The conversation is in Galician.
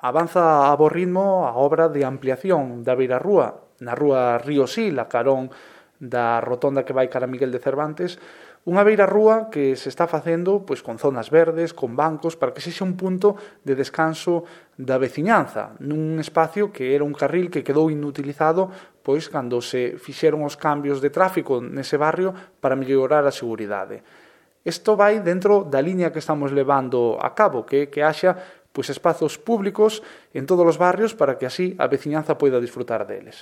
avanza a bo ritmo a obra de ampliación da beirarrúa na rúa Río Sil, a carón da rotonda que vai cara a Miguel de Cervantes, unha beirarrúa que se está facendo pois con zonas verdes, con bancos, para que sexa un punto de descanso da veciñanza, nun espacio que era un carril que quedou inutilizado pois cando se fixeron os cambios de tráfico nese barrio para mellorar a seguridade. Isto vai dentro da liña que estamos levando a cabo, que haxa pois espazos públicos en todos os barrios para que así a veciñanza poida disfrutar deles.